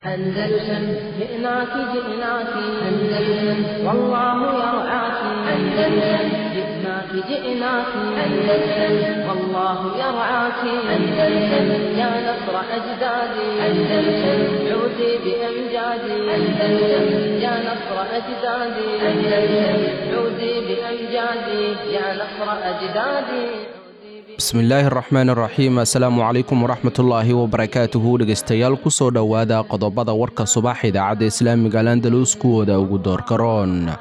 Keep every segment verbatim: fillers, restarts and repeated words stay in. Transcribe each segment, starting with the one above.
أندلسن جئناك جئناك أندلسن والله يرعاك أندلسن جئناك جئناك أندلسن والله يرعاك أندلسن يا نصر أجدادي أندلسن عودي بأمجادي أندلسن يا نصر أجدادي أندلسن عودي بأمجادي يا نصر أجدادي. Bismillaahi raxmaan raxiim, assalaamu calaykum waraxmatullaahi wabarakaatuhu. Dhegeystayaal, kusoo dhowaada qodobada warka subax idaacadda Islaamiga Al Andalus kuwooda ugu doorkaroon.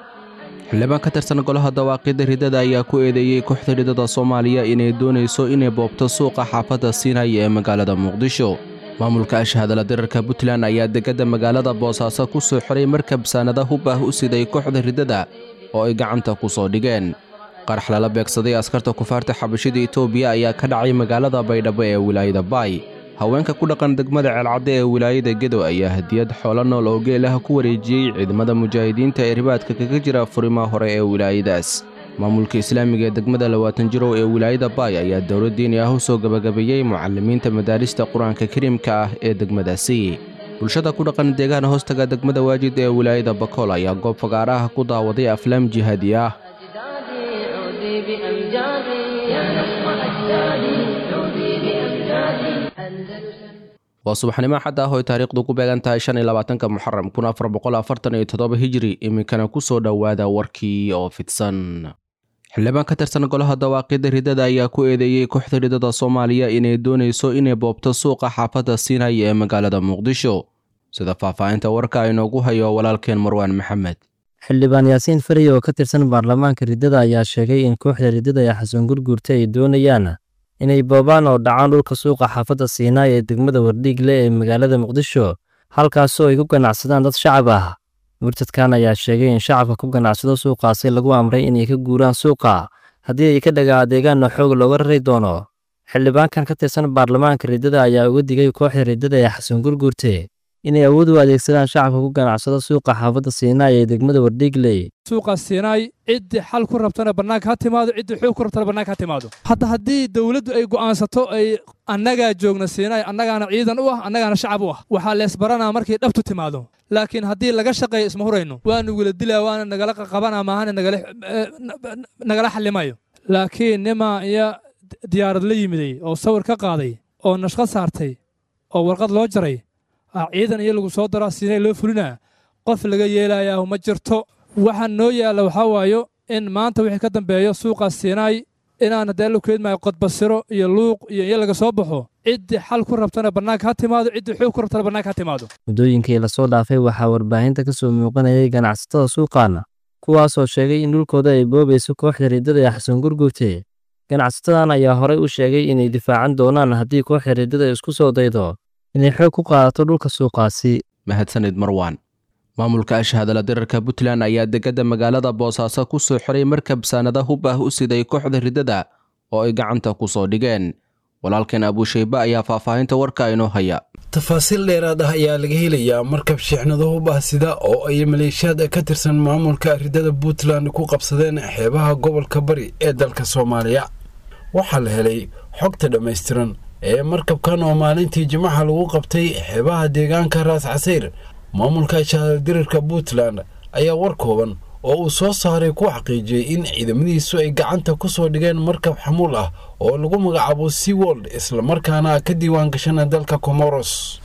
Xildhibaan ka tirsan golaha dawaaqidda ridada ayaa ku eedeeyey kooxda ridada Soomaaliya inay doonayso inay boobto suuqa xaafadda Siinay ee magaalada Muqdisho. Maamulka ashhadala dirarka Puntland ayaa degada magaalada Boosaaso ku soo xiray markab saanada hub ah u siday kooxda ridada oo ay gacanta ku soo dhigeen. Qarax lala beegsaday askarta kufaarta xabashida Itoobiya ayaa ka dhacay magaalada Baydhabo ee wilaayada Baay. Haweenka ku dhaqan degmada Ceelcadde ee wilaayada Gedo ayaa hadiyad xoolo nool oo geel ah ku wareejiyey ciidamada mujaahidiinta ee ribaadka kaga jira furimaha hore ee wilaayadaas. Maamulka islaamiga ee degmada Labaatan Jirow ee wilaayada Baay ayaa dowlad diini ah u soo gabagabeeyey mucalimiinta madaarista Qur-aanka Kariimka ah ee degmadaasi. Bulshada ku dhaqan deegaan hoostaga degmada Waajid ee wilaayada Bakool ayaa goob fagaaraha ku daawaday aflaam jihaadi ah. عودي بأمجادي يا نصر أجدادي عودي بأمجادي أندلسن. Waa subaxnimo xad ah oo ay taariikhdu ku beegan tahay shan iyo labaatanka Muxaram kun afar boqol afartan iyo toddoba Hijri. Iminkana kusoo dhowaada warkii oo fidsan. Xildhibaan ka tirsan golaha dawaaqidda ridada ayaa ku eedeeyey kooxda ridada Soomaaliya inay doonayso inay boobto suuqa xaafadda Siinay ee magaalada Muqdisho, sida faahfaahinta warka inoogu hayo walaalkeen Marwaan Maxamed. Xildhibaan Yaasiin Farey oo ka tirsan baarlamaanka riddada ayaa sheegay in kooxda riddada ee Xasan Gurguurta ay doonayaan inay boobaan oo dhacaan dhulka suuqa xaafadda Siinaay ee degmada Wardhiigle ee magaalada Muqdisho, halkaasoo ay ku ganacsadaan dad shacab ah. Murtadkan ayaa sheegay in shacabka ku ganacsado suuqaasi lagu amray inay ka guuraan suuqa, haddii ay ka dhaga adeegaanna xoog looga rari doono. Xildhibaankan ka tirsan baarlamaanka riddada ayaa uga digay kooxda riddada ee Xasan Gurguurte inay awood u adeegsadaan shacabka ku ganacsado suuqa xaafadda Siinaay ee degmada Wardhiigley. Suuqa Siinaay ciddii xal ku rabtana bannaanka ha timaado, ciddii xoog ku rabtana bannaanka ha timaado. Hadda haddii dowladdu ay go'aansato ay annagaa joogna Siinaay, annagaana ciidan u ah, annagaana shacab u ah, waxaa leesbaranaa markay dhabtu timaado. Laakiin haddii laga shaqeeyo isma hurayno, waanu wala dilaa, waana nagala qaqabanaa, maahane nagala xallimayo. Laakiin nimaa iyo diyaarad la yimiday oo sawir ka qaaday oo nashqad saartay oo warqad loo jaray, ciidan iyo lagu soo daraa Siinay loo fulinaa, qof laga yeelayaa ma jirto. Waxaa noo yaalla waxaa waayo in maanta wixii ka dambeeyo suuqa Siinaay inaan haddee la keedmaayo qodbasiro iyo luuq iyo iyo laga soo baxo. Ciddii xal ku rabtana bannaanka ha timaado, ciddii xoog ku rabtana bannaanka ha timaado. Muddooyinkii lasoo dhaafay waxaa warbaahinta ka soo muuqanayay ganacsatada suuqaana, kuwaasoo sheegay in dhulkooda ay boobayso kooxda riddada ee Xasan Gurguurte. Ganacsatadan ayaa horey u sheegay inay difaacan doonaan haddii kooxda riddada isku soo daydo inay xoog ku qaadato dhulka suuqaasi. Mahadsanid Marwaan. Maamulka ashhadala dirarka Puntland ayaa degada magaalada Boosaaso ku soo xiray markab saanada hub ah u siday kooxda ridada oo ay gacanta ku soo dhigeen. Walaalkeen Abuushayba ayaa faahfaahinta warka inoo haya. Tafaasiil dheeraad ah ayaa laga helayaa markab shixnado hub ah sida oo ay maleeshiyaad ka tirsan maamulka ridada Puntland ku qabsadeen xeebaha gobolka Bari ee dalka Soomaaliya. Waxaa la helay xogta dhammaystiran ee markabkan oo maalintii Jimcaha lagu qabtay xeebaha deegaanka Raas Casayr. Maamulka shahadadirirka Puntland ayaa war kooban oo uu soo saaray ku xaqiijiyey in ciidamadiisu ay gacanta ku soo dhigeen markab xamuul ah oo lagu magacaabo Seawold, islamarkaana ka diiwaan gashana dalka Comoros.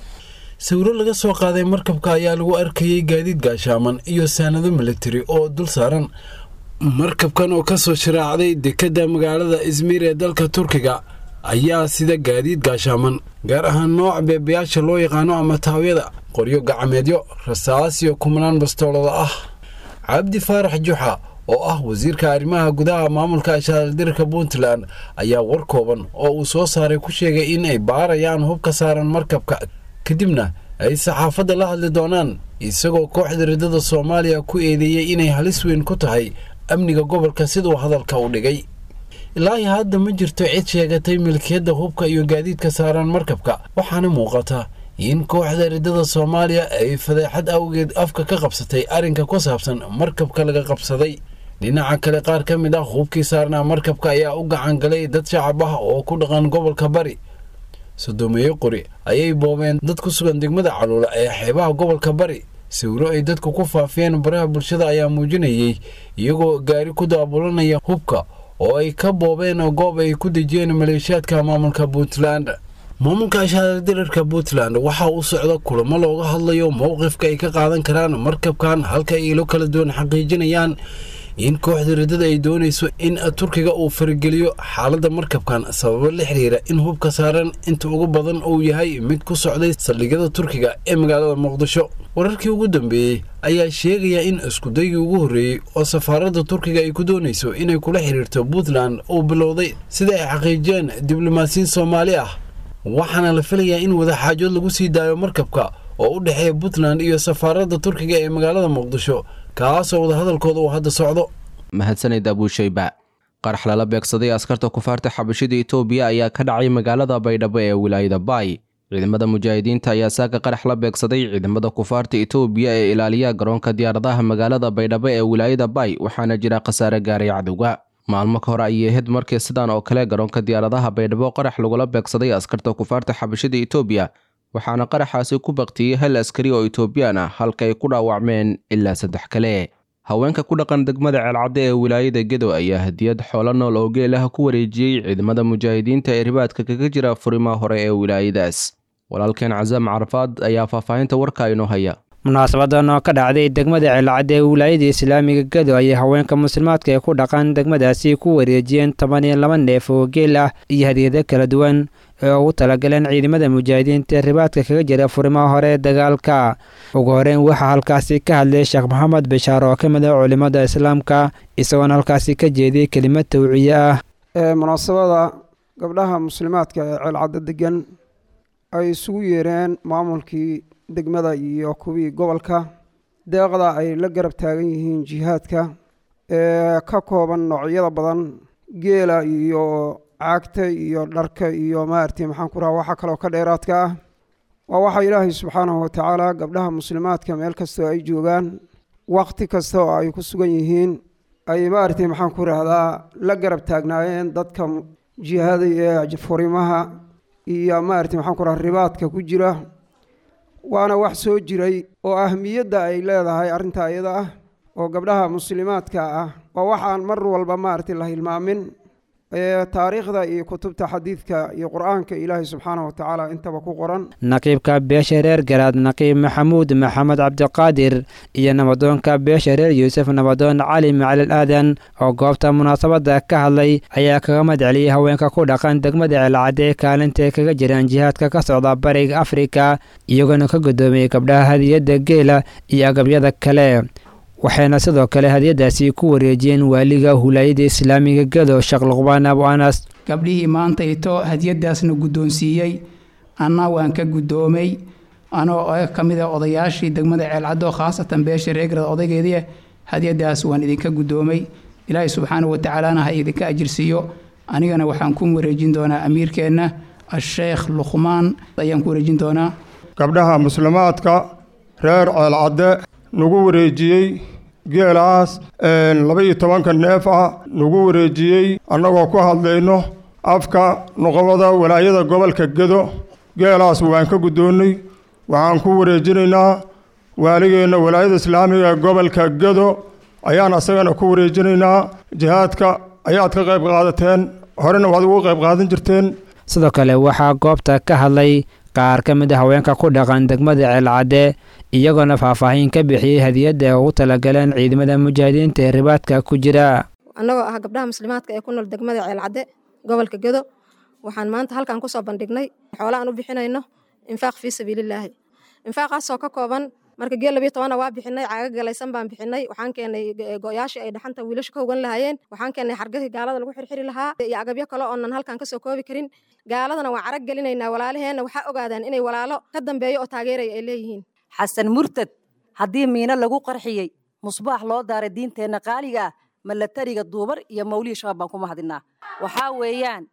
Sawiro laga soo qaaday markabka ayaa lagu arkayey gaadiid gaashaaman iyo saanado militari oo dul saaran. Markabkan oo kasoo sharaacday dekadda magaalada Izmir ee dalka Turkiga ayaa sida gaadiid gaashaaman, gaar ahaan nooc beebayaasha loo yaqaano ama taawyada, qoryo gacmeedyo, rasaas iyo kumnaan bastoolada ah. Cabdi Faarax Juxa oo ah wasiirka arrimaha gudaha maamulka ashaaldirka Puntland ayaa war kooban oo uu soo saaray ku sheegay in ay baarayaan hubka saaran markabka, kadibna ay saxaafadda la hadli doonaan, isagoo kooxda riddada Soomaaliya ku eedeeyey inay halis weyn ku tahay amniga gobolka siduu hadalka u dhigay. Ilaahi hadda ma jirto cid sheegatay milkiyadda hubka iyo gaadiidka saaran markabka, waxaana muuqata in kooxda riddada Soomaaliya ay fadeexad awgeed afka ka qabsatay arrinka ku saabsan markabka laga qabsaday. Dhinaca kale, qaar ka mid ah hubkii saarnaa markabka ayaa u gacan galay dad shacab ah oo ku dhaqan gobolka Bari. Sodomeeyo qori ayay boobeen dad ku sugan degmada Caluula ee xeebaha gobolka Bari. Sawiro ay dadku ku faafiyeen baraha bulshada ayaa muujinayay iyagoo gaari ku daabulanaya hubka oo ay ka boobeen goob ay ku dejiyeen maleeshiyaadka maamulka Puntland. Maamulka ashaaradirirka Puntland waxa uu socda kulamo looga hadlayo mowqifka ay ka qaadan karaan markabkan, halka ay ilo kala duwan xaqiijinayaan in kooxda riddada ay doonayso in Turkiga uu farageliyo xaaladda markabkan sababo la xiriira in hubka saaran inta ugu badan uu yahay mid ku socday saldhigyada Turkiga ee magaalada Muqdisho. Wararkii ugu dambeeyey ayaa sheegaya in iskudaygii ugu horreeyey oo safaaradda Turkiga ay ku doonayso inay kula xiriirto Puntland uu bilowday, sida ay xaqiijiyeen diblomaasiyiin Soomaali ah, waxaana la filayaa in wadaxaajood lagu sii daayo markabka oo u dhexeeya Puntland iyo safaaradda Turkiga ee magaalada Muqdisho, kaasoo wadahadalkooda uu hadda socdo. Mahadsanid Abuushayba. Qarax lala beegsaday askarta kufaarta xabashida Itoobiya ayaa ka dhacay magaalada Baydhabo ee wilaayada Baay. Ciidamada mujaahidiinta ayaa saaka qarax la beegsaday ciidamada kufaarta Itoobiya ee ilaaliya garoonka diyaaradaha magaalada Baydhabo ee wilaayada Baay, waxaana jira khasaare gaaray cadowga. Maalmo ka hor ayay ahayd markii sidaan oo kale garoonka diyaaradaha Baydhabo qarax lagula beegsaday askarta kufaarta xabashida Itoobiya, waxaana qaraxaasi ku baktiyey hal askari oo Itoobiyaan ah, halka ay ku dhaawacmeen ilaa saddex kale. Haweenka ku dhaqan degmada Ceelcadde ee wilaayada Gedo ayaa hadiyad xoolo nool oo geel ah ku wareejiyey ciidamada mujaahidiinta ee ribaadka kaga jira furimaha hore ee wilaayadaas. Walaalkeen Casaam Carafaad ayaa faahfaahinta warka inoo haya. Munaasabadan oo ka dhacday degmada Ceelcadde ee wilaayada islaamiga Gedo ayay haweenka muslimaadka ee ku dhaqan degmadaasi ku wareejiyeen toban iyo laba neef oo geel ah iyo hadiyado kala duwan ee ugu talagaleen ciidamada mujaahidiinta ee ribaadka kaga jira furimaha hore ee dagaalka. Ugu horeyn waxaa halkaasi ka hadlay Sheekh Maxamed Bishaar oo ka mid ah culimada islaamka, isagoona halkaasi ka jeediyey kelimad tawciye ah. Munaasabada gabdhaha muslimaadka ee Ceelcadde degan ay isugu yeereen maamulkii degmada iyo kuwii gobolka, deeqda ay la garab taagan yihiin jihaadka ee ka kooban noocyada badan, geela iyo caagta iyo dharka iyo maaragtay maxaan ku rahaa waxa kaloo ka dheeraadka ah. Waa waxa Ilaahay subxaanahu watacaala gabdhaha muslimaadka meel kastoo ay joogaan, wakhti kasta oo ay ku sugan yihiin, ay maaragtay maxaan ku rahdaa la garab taagnaayeen dadka jihaada ee furimaha iyo maaragtay maxaan ku rahaa ribaadka ku jira. Waana wax soo jiray oo ahmiyadda ay leedahay arrinta iyada ah oo gabdhaha muslimaadka ah waa waxaan mar walba maaragtay la hilmaamin ee taariikhda iyo kutubta xadiidka iyo qur-aanka Ilaahay subxaanahu watacaala intaba ku qoran. Naqiibka beesha reer Garaad Naqiib Maxamuud Maxamed Cabdiqaadir iyo nabadoonka beesha reer Yuusuf Nabadoon Cali Macalin Aadan oo goobta munaasabada ka hadlay ayaa kaga madceliyey haweenka ku dhaqan degmada Ceelcadde ee kaalinta kaga jiraan jihaadka ka socda bariga Afrika, iyagoona ka gudoomiyey gabdhaha hadiyadda geela iyo agabyada kale. Waxayna sidoo kale hadiyadaasi ku wareejiyeen waaliga hulayada islaamiga Gedo Sheekh Luqmaan Abu Anas. Gabdhihii maanta ito hadiyadaasna guddoonsiiyey, anna waan ka guddoomay anoo ka mid ah odayaashii degmada Ceelcaddo, khaasatan beesha reegrad odaygeedii, hadiyadaas waan idinka guddoomay. Ilaahay subxaanahu watacaalana ha idinka ajirsiiyo. Anigana waxaan ku wareejin doonaa amiirkeenna Asheekh Luqmaan ayaan ku wareejin doonaa. Gabdhaha muslimaadka reer Ceelcadde nagu wareejiyey geelaas laba iyo tobanka neef ah nagu wareejiyey, annagoo ku hadlayno afka noqobada walaayada gobolka Gedo, geelaas waan ka guddoonnay. Waxaan ku wareejinaynaa waaligeenna walaayada islaamiga gobolka Gedo ayaan asagana ku wareejinaynaa. Jihaadka ayaad ka qayb qaadateen, horena waad ugu qayb qaadan jirteen. Sidoo kale waxaa goobta ka hadlay qaar ka mid ah haweenka ku dhaqan degmada Ceelcadde, iyagoona faahfaahin ka bixiyey hadiyadda ay ugu talagaleen ciidamada mujaahidiinta ee ribaadka ku jira. Annagoo ah gabdhaha muslimaadka ee ku nool degmada Ceelcadde gobolka Gedo, waxaan maanta halkan kusoo bandhignay xoola aan u bixinayno infaaq fii sabiilillaahi. Infaaqaasoo ka kooban marka geel labiyo tobana waa bixinay, caaga galaysan baan bixinay, waxaan keenay go'yaashii ay dhaxanta wiilasha ka hogan lahaayeen, waxaan keenay xargahii gaalada lagu xirxiri lahaa iyo agabyo kale oonan halkan kasoo koobi karin. Gaaladana waan carag gelinaynaa, walaalaheenna waxaa ogaadaan inay walaalo ka dambeeyo oo taageeraya ay leeyihiin. Xasan murtad haddii miino lagu qarxiyey, musbaax loo daaray diinteenna qaaliga ah, malatariga duubar iyo mawlihii shabaab baan ku mahadinaa. Waxaa weeyaan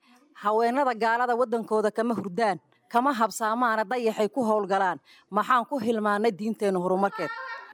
haweenada gaalada waddankooda kama hurdaan, kama habsaamaana, dayaxay ku howlgalaan. Maxaan ku hilmaannay diinteenna horumarkeed?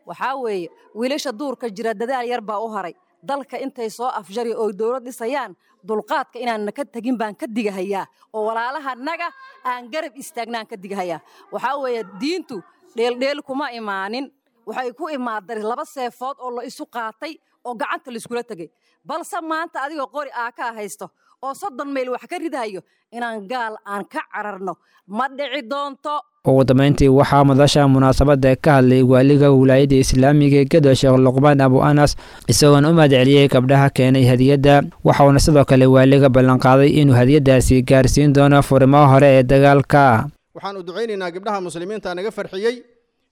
Waxaa weeye wiilasha duurka jira dadaal yar baa u haray, Dalka intay soo afjari oo dowlad dhisayaan, dulqaadka inaanna ka tegin baan ka digahayaa, oo walaalahanaga aan garab istaagnaan ka digahayaa. Waxaa weeye diintu dheeldheel kuma imaanin, waxay ku imaaday laba seefood oo la isu qaatay oo gacanta laiskula tegey. Balse maanta adigoo qori aa ka haysto oo soddon mayl wax ka ridahayo, inaan gaal aan ka cararno ma dhici doonto. Ugu dambeyntii waxaa madasha munaasabadda ka hadlay waaliga wilaayadda islaamiga ee Gedo, Sheekh Luqmaan Abu Anas, isagoona u mahadceliyey gabdhaha keenay hadiyadda. Waxauna sidoo kale waaliga ballanqaaday inuu hadiyaddaasi gaarsiin doono furimaha hore ee dagaalka. Waxaan u ducaynaynaa gabdhaha muslimiinta naga farxiyey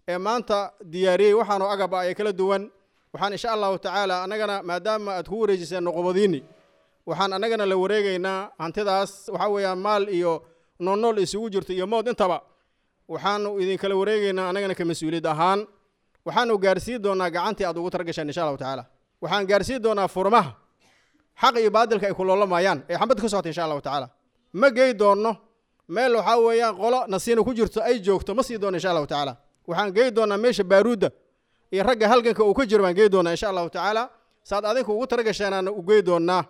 ee maanta diyaariyey waxaanu agab ah ee kala duwan. Waxaan insha Allahu tacaala annagana, maadaama aad ku wareejiseen nuqubadiinni, waxaan annagana la wareegaynaa hantidaas. Waxaa weeyaan maal iyo noolnool isugu jirto iyo mood intaba waxaanu idinkala wareegaynaa annagana ka mas-uuliyad ahaan. Waxaanu gaarsiin doonaa gacantii aad ugu talagashaan insha Allahu tacaala. Waxaan gaarsiin doonaa furmaha xaq iyo baadilka ay ku loolamayaan ee xambad ka socota insha Allahu tacaala. Ma gey doonno meel waxaa weeyaan qolo nasiina ku jirto ay joogto, ma sii doono insha Allahu tacaala. Waxaan gey doonaa meesha baaruudda iyo ragga halganka uu ka jiro baan gey doonaa insha Allahu tacaala. Saad adinku ugu talagasheenaana u gey doonaa.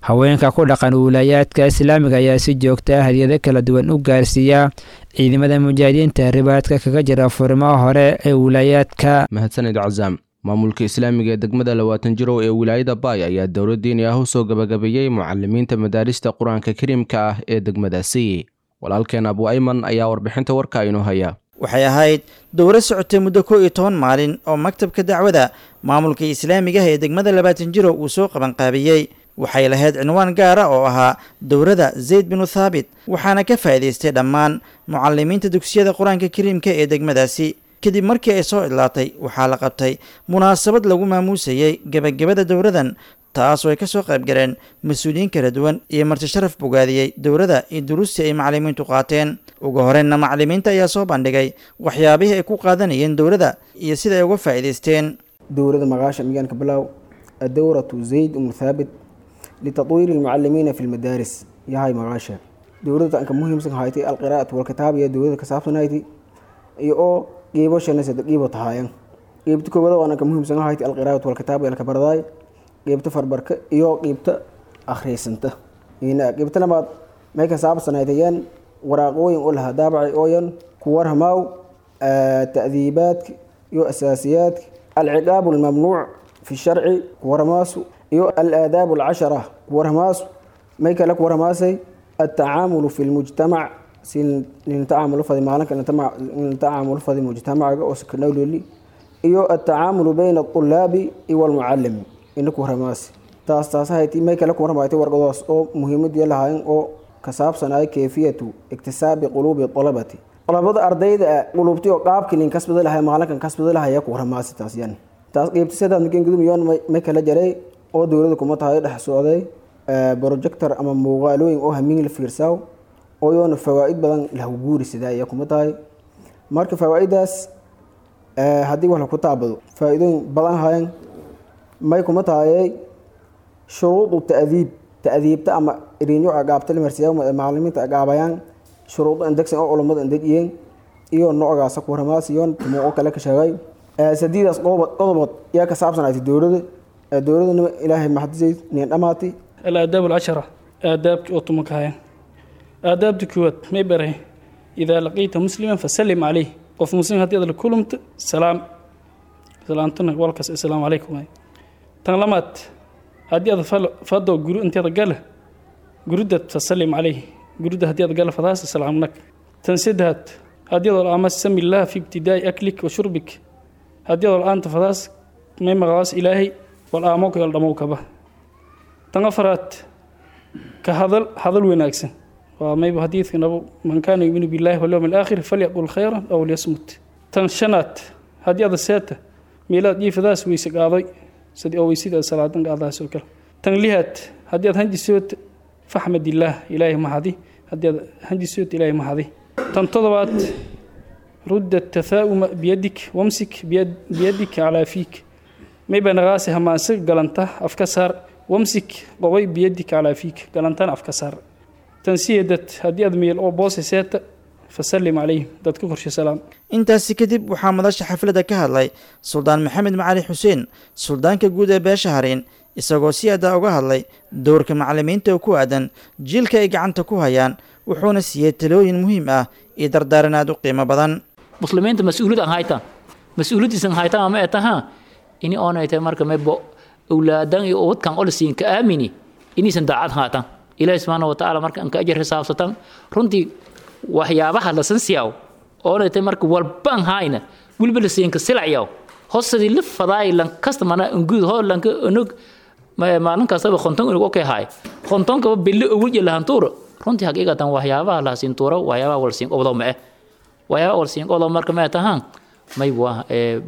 Haweenka ku dhaqan wiilaayaadka islaamiga ayaa si joogta ah hadiyado kala duwan u gaarsiiya ciidamada mujaahidiinta ribaadka kaga jira furimaha hore ee wiilaayaadka. Mahadsanid Cazaam. Maamulka islaamiga ee degmada Labaatan Jirow ee wilaayada Baay ayaa dowlad diini ah u soo gabagabeeyey mucalimiinta madaarista Qur-aanka Kariimka ah ee degmadaasi. Walaalkeen Abu Ayman ayaa warbixinta warka inoo haya. Waxay ahayd dowro socotay muddo kow iyo toban maalin oo maktabka dacwada maamulka islaamiga ah ee degmada Labaatan Jirow uu soo qabanqaabiyey. Waxay lahayd cinwaan gaara oo ahaa dowrada Zayd binu Thaabit, waxaana ka faa'iidaystay dhammaan mucalimiinta dugsiyada Qur-aanka Kariimka ee degmadaasi. Kadib markii ay soo idlaatay, waxaa la qabtay munaasabad lagu maamuusayey gebagabada dowradan, taas oo ay ka soo qayb galeen mas-uuliyiin kala duwan iyo marti sharaf bogaadiyey dowrada iyo duruustii ay macalimiintu qaateen. Ugu horreynna macalimiinta ayaa soo bandhigay waxyaabihii ay ku qaadanayeen dowrada iyo sida ay uga faa'iidaysteen. Dowrada magaasha miyaanka bilow adowratu Zayd ibnu Thaabit litadwiiri almucalimiina fi lmadaaris yahay magaasha dowladda anka muhiimsan haytay alqiraa'atu walkitaab iyo dowladda ka saabsan hayti iyo oo qiibo shanasada qiibo tahaayan. Qiibta koowaad oo anka muhiimsan haytay alqiraa'atu walkitaab iyo kabardaay, qiibta farbarka iyo qiibta akhriisanta. Ina qiibta labaad may ka saabsan haytayaan waraaqooyin oo lahaa daabacay ooyan ku warhamaaw ta'diibaadka iyo asaasiyaadka, alciqaabu almamnuuc fi sharci ku warhamaasu, iyo alaadaab alcashara ku warhamaasu. May kale ku warhamaasay altacaamulu fi lmujtamac, si lintacaamulu fadi maalinka lintacaamulu fadi mujtamacaga oo sakanawloli, iyo altacaamulu bayna alطulaabi iyo almucallim ina ku warhamaasi. Taas taas hayti. May kale ku warhamaaytay warqadaas oo muhiimadii lahaayeen oo ka saabsanay kayfiyatu iktisaabi quluubi talabati, talabada ardayda quluubtii oo qaabkii lin kasbada lahay maalinkan kasbada lahaya ku warhamaasi. Taas yan taas qeybta sidaad markeen gudumiyoon may kala jaray oo dowladda kuma tahay dhex socday projector ama muuqaalooyin oo hamiin la fiirsaaw oo yoona fawaa'id badan lahu guuri sidaa ayaa kuma tahay. Marka fawaa'idaas haddii wax laku taabado faa'iidooyin badan hayan. May kuma tahayay shuruudu ta'diib, ta'diibta ama iriinyo agaabta la marsiyaa macallimiinta agaabayaan, shuruudo indegsan oo culummada indegiyeen iyo noocaasa ku warhamaas iyo tumuuqo kale ka sheegay. Sadiidaas qodobood qodobood yaa ka saabsan aytay dowladda. Dowladana Ilaahay maxadisay nin dhamaatay. الآداب العشرة، آداب أوتومكايا. آداب كوات ما يبره: إذا لقيت مسلما فسلم عليه. قف مسلم هدي هذا كلمت سلام سلامتنا والكس السلام عليكم. تنلمت هدي هذا فضو جرو أنت هذا قاله جرودة فسلم عليه، جرودة هدي هذا قاله فداس السلام لك. تنسدهت هدي هذا الأمس سمي الله في ابتداء أكلك وشربك. هدي هذا الآن تفداس ما مغاس إلهي والآموك يلدموك به. تنفرت كهذا هذا الوناكسن وما يبو حديث من كان يؤمن بالله واليوم الآخر فليقل خيرا أو ليصمت. تنشنات هذه هذا الساتة ميلاد يف ذا ويسق قاضي سدي أو يسيد الصلاة قاضي سكر. تنليهات هذه هندي سوت فحمد الله إلهي ما هذه هذه هندي سوت إلهي ما هذه. تنتظرت رد التثاؤم بيدك وامسك بيد بيدك على فيك ما يبان غاسها ما سق قلنته أفكسر وامسك قوي بيدك على فيك قلنتان أفكسر. تنسيدت هدي أدمي أو بوس سات فسلم عليه dadka qorshe salaam. Intaasi kadib waxaa madasha xafladda ka hadlay Suldaan Maxamed Macali Xuseen, suldaanka guud ee beesha Hareen, isagoo si adaa uga hadlay dowrka macallimiinta oo ku aadan jiilka ay gacanta ku hayaan, wuxuuna siiyey talooyin muhiim ah iyo dardaaran aad u qiimo badan. Muslimiinta mas-uuliyad aan haytaan, mas-uuliyadiisan haytaan ama ay tahaa ini oonay tahay marka maybo awlaadan iyo ubadkan olisiin ka aamini inaysan daacad haatan Ilaahi subxaana wa tacaala marka anka ajar xisaabsatan. Runtii waxyaabaha la sansiyaw oonay tahay marka walbaan hayna weliba la siinka silacyaw hosadii la fadaay lan kasta mana unguud hoo lanka unug maalin kastaba konton unug okay haay kontonkaba billi ugu jelahantuuro. Runtii xaqiiqatan waxyaabaha la siintuuro, waxyaabaha wal siin obdo ma eh waxyaabaha wal siin obdo marka ma tahaan may waa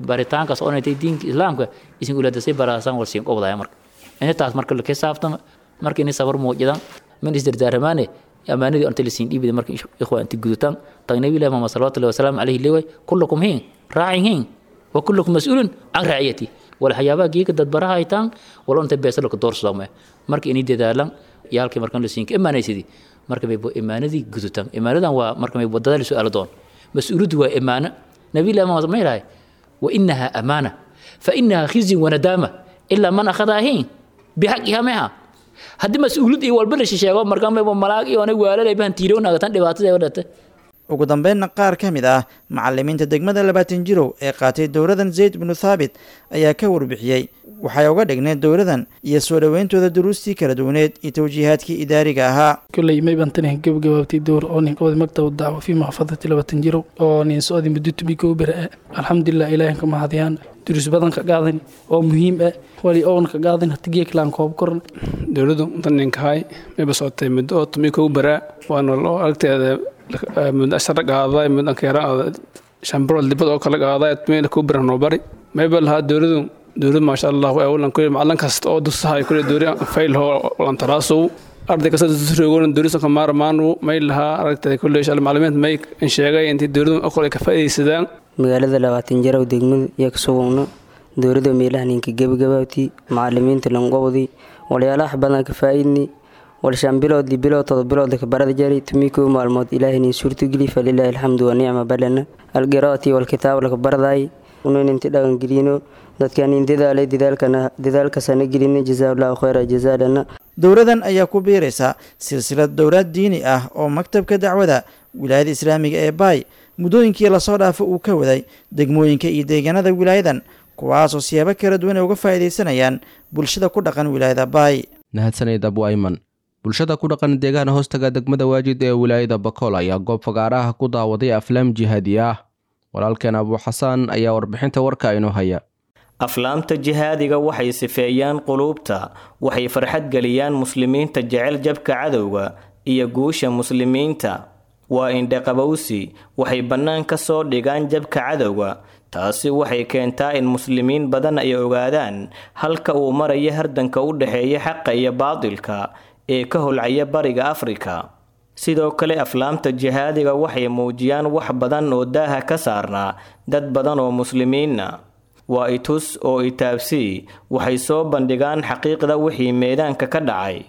baritaankaas oonay tahay diinka islaamka isin ulaadasay baraasaan wal siin obdaya. Marka intaas marka la xisaabtama marka inay sabar muujidaan min isdardaaramaane amaanadii anta lisiin dhiibida marka ikhwa inta gudutaan tag. Nabi ilahi Muhammad salawatullahi wasalaamu calayhi leeway kullukum hiin raacin hiin wa kullukum mas'uulun can raaciyati wal waxyaabaha geeka dadbaraha haytaan walo inta beesa laka doorsadaama marka inay dadaalaan iyo halkii markan lasiinka imaanaysidii marka maybo imaanadii gudutaan. Imaanadan waa marka maybo dadaal su'aalo doon mas-uuliyaddu waa imaano. Nabi ilahi Muhammad ma ilahay wa inaha amaana fa inaha khizyun wa nadaama ilaa man akhadaha hiin bixaqiha meha. Haddii mas-uuliyad iyo walba la shisheego markaa maybo malaag iyo anay waalalay bahan tiirownagatan dhibaatada dhata. Ugu dambeynna qaar ka mid ah macallimiinta degmada Labaatan Jirow ee qaatay dowladan Zayd binu Thaabit ayaa ka warbixiyey waxay uga dhigneed dowladan iyo soo dhoweyntooda duruustii kala duwaneed iyo tawjiihaadkii idaariga ahaa. Kulley may baan tani gabagabaabtay dowr oo nin qabad maktab dacwo fi maxaafadati Labaatan Jirow oo nin socday muddo tobi kow bir ah. Alxamdulilah, Ilaahay ka mahadiyaan, duruus badan ka qaadan oo muhiim ah wali oon ka qaadan hatigiye kalaan koob koran. Dowladdu intan ninkahay mayba socotay muddo oo tobi kow bara waana loo aragteeda muddo ashara qaaday muddo anka yara shan bilood dibad oo kala qaaday meel ku bara noo bari mayba lahaa dowladdu dowlad maasha Allah waa awlan kulli macallin kasta oo dusahay kulli dowlad fayl hoo lan taraasow arday kasta dusrogoon dowladda ka maarmaanu may lahaa aragtay kulli insha Allah macallimiinta may in sheegay intii dowladdu oo ka faa'iideysadaan. Magaalada Labaatan Jarow degmada iyo kasugugno dowladda meelaha ninka gebagabaabti macallimiinta lanqobdi walyaalaha badan ka faa'iidni wal shan bilood li bilood todoba bilood ka barada jari tumi kow maalmood Ilaahay nin suurtageli falilaahi alxamdu wa nicma balana alqiraati walkitaab laka baraday unan inti dhaqan gelino dadkan in dadaalay dadaalkana dadaalkasana gelina jazaa allahu khayra jazaalana. Dowladan ayaa ku biiraysa silsilad dowlaad diini ah oo maktabka dacwada wilaayada islaamiga ee Baay muddooyinkii lasoo dhaafo uu ka waday degmooyinka iyo deegaanada wilaayadan, kuwaasoo siyaabo kala duwan ay uga faa'iidaysanayaan bulshada ku dhaqan wilaayada Baay. Mahadsanid Abu Ayman. Bulshada ku dhaqan deegaan hoostaga degmada Waajid ee wilaayada Bakool ayaa goob fagaaraha ku daawaday aflaam jihaadi ah. Walaalkeen Abu Xasaan ayaa warbixinta warka inoo haya. Aflaamta jihaadiga waxay sifeeyaan quluubta, waxay farxad geliyaan muslimiinta jecel jabka cadowga iyo guusha muslimiinta. Waa indhaqabowsi, waxay bannaan ka soo dhigaan jabka cadowga. Taasi waxay keentaa in muslimiin badan ay ogaadaan halka uu marayo hardanka u dhexeeya xaqa iyo baadilka ee ka holcaya bariga Afrika. Sidoo kale aflaamta jihaadiga waxay muujiyaan wax badan oo daaha ka saarnaa dad badan oo muslimiinna. Waa itus oo itaabsii, waxay soo bandhigaan xaqiiqda wixii meedaanka ka dhacay.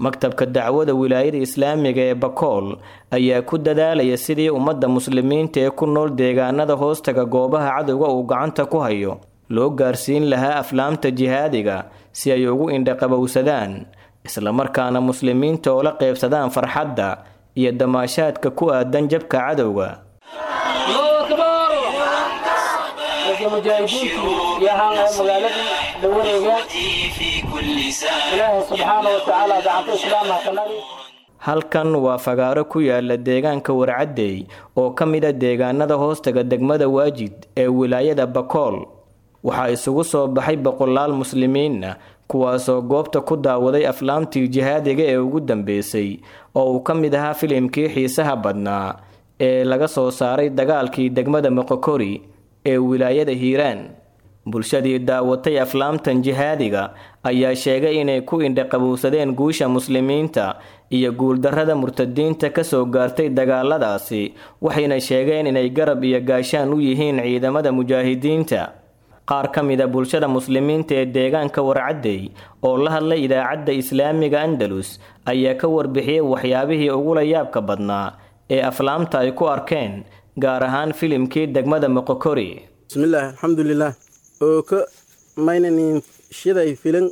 Maktabka dacwada wilaayada islaamiga ee Bakool ayaa ku dadaalaya sidii ummadda muslimiinta ee ku nool deegaanada hoostaga goobaha cadowga uu gacanta ku hayo loo gaarsiin lahaa aflaamta jihaadiga si ay ugu indhaqabowsadaan, islamarkaana muslimiinta oo la qeybsadaan farxadda iyo damaashaadka ku aadan jabka cadowga. Halkan waa fagaaro ku yaala deegaanka Warcaddey oo ka mid a deegaanada hoostaga degmada Waajid ee wilaayada Bakool. Waxaa isugu soo baxay boqolaal muslimiinna, kuwaasoo goobta ku daawaday aflaamtii jihaadiga ee ugu dambeysay oo uu ka mid ahaa filimkii xiisaha badnaa ee laga soo saaray dagaalkii degmada Moqokori ee wilaayada Hiiraan. Bulshadii daawatay aflaamtan jihaadiga ayaa sheegay inay ku indhaqabowsadeen guusha muslimiinta iyo guuldarrada murtadiinta ka soo gaartay dagaaladaasi, waxayna sheegeen inay garab iyo gaashaan u yihiin ciidamada mujaahidiinta. Qaar ka mid a bulshada muslimiinta ee deegaanka Warcaddey oo la hadlay idaacadda islaamiga Andalus ayaa ka warbixiyey waxyaabihii ugula yaabka badnaa ee aflaamta ay ku arkeen, gaar ahaan filimkii degmada Moqokori. Bismillaah, alxamdulilah, oo ka maynanin shiday filin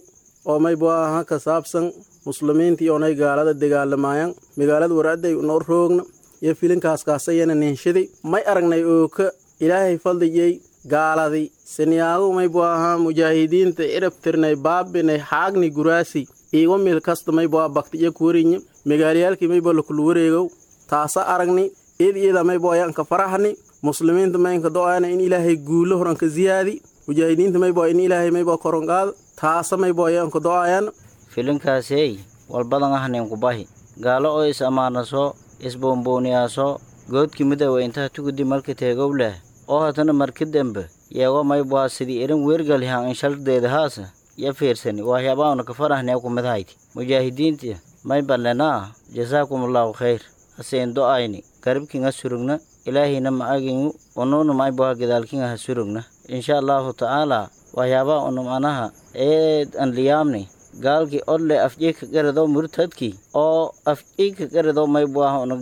Oo maybu aha ka saabsan muslimiinta iyoonay gaalada dagaalamaayaan magaalada Warcadday noo roogna iyo filinkaas kaasayana ninshiday. May aragnay ooka Ilaahay fadligay gaaladi siniyaagu maybu ahaa mujaahidiinta cirabtirnay baabinay xaagni guraasi iigo meel kasta maybu aha bakti iyo kuwarinya magaalayaalkii maybu lakula wareegow taasa aragni iyada iyada maybu ayaanka faraxni. Muslimiinta maynka do-aana in Ilaahay guulo horanka ziyaadi, mujaahidiinta maybu in Ilaahay maybu koronqaado, taasa maybu ayaanka do-ayaan. Filinkaasey walbadan ahnin kubahi gaalo oo is ammaanaso isboonbooniyaaso goodki midowa intaha tugudi marka teegow leh oo hatana marka dembe yeego maybwaa sidii irin weergalhan inshaldeeda haasa ya fiirsani waxyaabaana ka farahnee kumidhayti. Mujaahidiinta may ballenaa jasaakumallaahu khayr haseen do-ayni garibkinga surugna Ilaahayna macagingu unuuna maybwaa gadaalkinga ha surugna insha Allaahu tacaalaa. Waxyaabaha unu macnaha eed an liyaamni gaalkii odle afjika garado murtadkii oo afjika garado maybwaaha una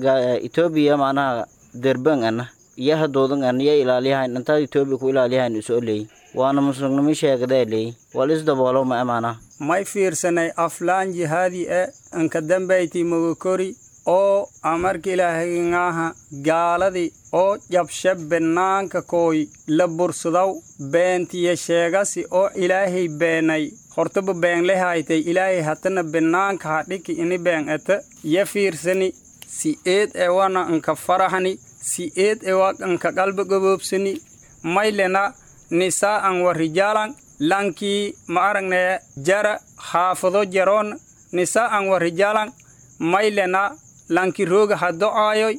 Etoobiya macnaha derban ana iyo hadoodan ana iyo ilaaliyahayn intaa Etoobiya ku ilaaliyahayn isu oleey waana muslimnimo sheegada leey wal isdaboolo ma amaana. May fiirsanay aflaan jihaadi e anka dambayti Mogokori oo amarka Ilaahayngaaha gaaladii oo jabshe banaanka kooy la bursadow beentiya sheegasi oo Ilaahay beenay hortaba been lehaytay Ilaahay hatana banaanka hadhiki ini been ete ya fiirsani si eed ewana anka farahani si eed ewa anka qalbi gaboobsani. Maylena nisaa'an wa rijaalan lankii ma aragne jara xaafado jaroon nisaa'an wa rijaalan maylena lanki rooga ha do-aayoy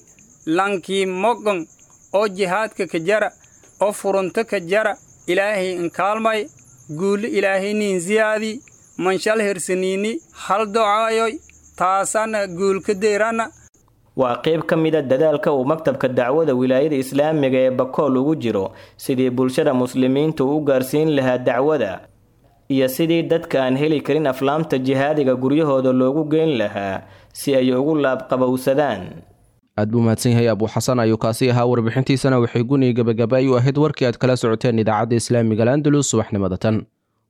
lankii mogon oo jihaadka ka jara oo furunto ka jara Ilaahay inkaalmay guuli Ilaahay niin ziyaadi manshal hirsaniini hal do-aayoy taasana guulka deyrana. Waa qayb ka mid a dadaalka uu maktabka dacwada wilaayada islaamiga ee Bakool ugu jiro sidii bulshada muslimiinta u gaarsiin lahaa dacwada iyo sidii dadka aan heli karin aflaamta jihaadiga guryahooda loogu geyn lahaa si ay ugu laabqabowsadaan. Aad buu mahadsan yahay Abu Xasan ayuu kaasi ahaa. Warbixintiisana waxay guni gabagaba u ahayd warkii aad kala socoteen idaacadda islaamiga Al-Andalus subaxnimada tan.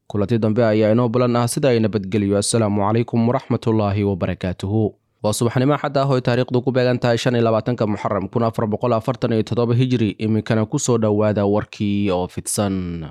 Kulanti dambe ayaa inoo balan ah, sida ay nabadgeliyo. Assalaamu calaykum waraxmatullaahi wabarakaatuhu. Waa subaxnimo xad ah oo taariikhdu ku beegan tahay shan iyo labaatanka Muxaram kun afar boqol afartan iyo toddoba Hijri. Iminkana kusoo dhowaada warkii oo fidsan.